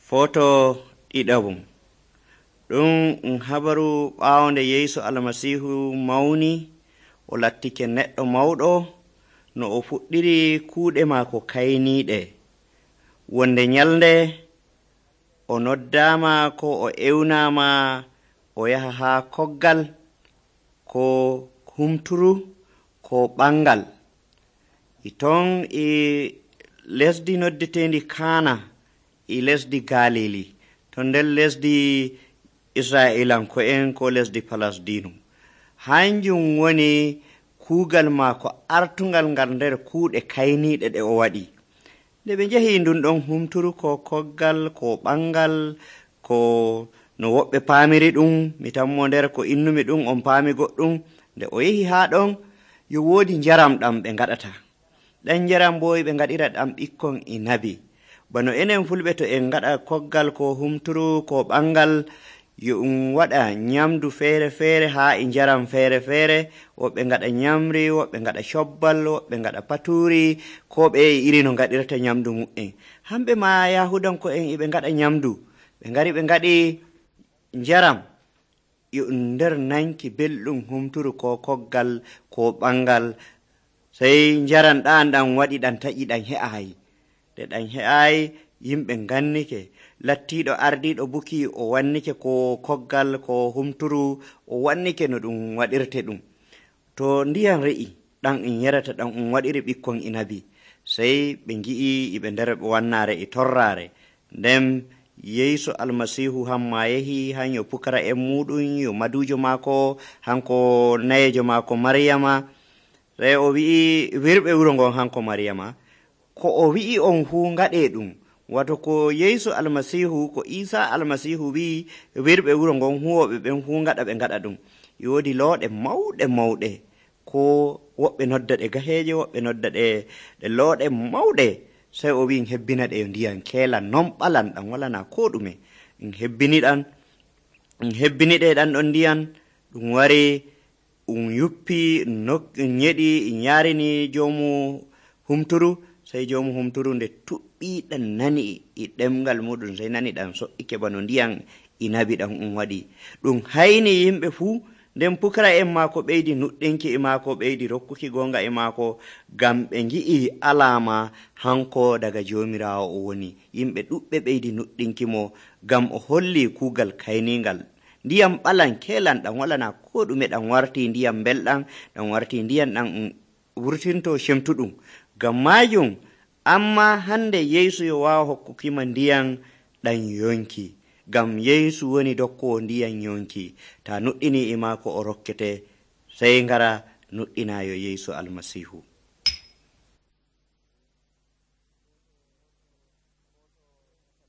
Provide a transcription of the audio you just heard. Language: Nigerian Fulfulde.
Foto ɗiɗabum ɗum habaru ɓaawonde Yeesu Almasiihu mawni o lattike neɗɗo mawɗo no o fuɗɗiri kuuɗe maako kayniiɗe. Wonde nyalnde o noddaama ko o ewnaama o yaha haa koggal ko humturu ko ɓangal. Ton e lesdi noddetendi Kaana e lesdi Galili to nder lesdi Isra'ilanko'en ko lesdi Palasdinu. Hanjum woni kuugal maako artungal ngal nder kuuɗe kayniiɗe ɗe o waɗi. Nde ɓe njehi ndun ɗon humturu ko koggal ko ɓangal ko no woɓɓe paamiri ɗum, mi tammo nder ko innumi ɗum on paami goɗɗum. Nde o yehi haa ɗon yo woodi njaram ɗam ɓe ngaɗata. Ɗan njaram bo ɓe ngaɗira ɗam ɓikkon inabi. Bano enen fulɓe to en ngaɗa koggal ko humturu ko ɓangal yo waɗa nyamdu feere-feere haa e njaram feere-feere. Woɓɓe ngaɗa nyamri, woɓɓe ngaɗa cobbal, woɓɓe ngaɗa paturi, ko ɓe iri no ngaɗirta nyamdu mu'en. Hamɓe ma Yahudanko'en e ɓe ngaɗa nyamdu. Ɓe ngari ɓe ngaɗi njaram yo nder nanki belɗum humturu ko koggal ko ɓangal. Sey njaram ɗan waɗi ɗan taƴi ɗan he'ayi. Nde ɗan he'ayi yimɓe ngannike. Lattiiɗo ardiiɗo buki o wannike ko koggal ko humturu o wannike no ɗum waɗirte ɗum. To ndiyam re'i ɗan yarata ɗan waɗiri ɓikkon inabi. Sey ɓe ngi'i ɓe nder wannaare e torraare. Nden Yeesu Almasiihu hamma yehi han yo pukara en muɗum yo madujo maako hanko nayejo maako Maryama. Sey o wi'i wirɓe wuro ngon hanko Maryama ko o wi'i on fuu ngaɗe ɗum. Wato ko Yeesu Almasiihu ko Isa Almasiihu wi'i wirɓe wuro ngon huwoɓe ɓen fuu ngaɗa ɓe ngaɗa ɗum. Yoodi looɗe mawɗe ko woɓɓe nodda ɗe gaheeje, woɓɓe nodda ɗe looɗe mawɗe. Sey o wi'i hebbina ɗe ndiyam keelan non ɓalan ɗan walana ko ɗume. Hebbini ɗe ɗan ɗon ndiyam ɗum wari yuppi nyeɗi yaarini joomu humturu. Sey joomu humturu nde tuɓɓi ɗan nani e ɗemgal muɗum, sey nani ɗan so'ike bano ndiyam inabi ɗan waɗi. Ɗum hayni yimɓe fuu. Nden pukara en maako ɓeydi nuɗɗinki e maako, ɓeydi rokkuki gonga e maako, ngam ɓe ngi'i alaama hanko daga Joomiraawo o woni. Yimɓe ɗuɓɓe ɓeydi nuɗɗinki mo ngam o holli kuugal kayningal. Ndiyam ɓalan keelan ɗan walana ko ɗume, ɗan warti ndiyam belɗam, ɗan warti ndiyam ɗan wurtinto cemtuɗum. Ngam maajum amma hande Yeesu yo waawa hokkukima ndiyam ɗan yonki. Ngam Yeesu woni dokkowo ndiyam yonki. Ta nuɗɗini e maako o rokkete, sey ngara nuɗɗinayo Yeesu Almasiihu.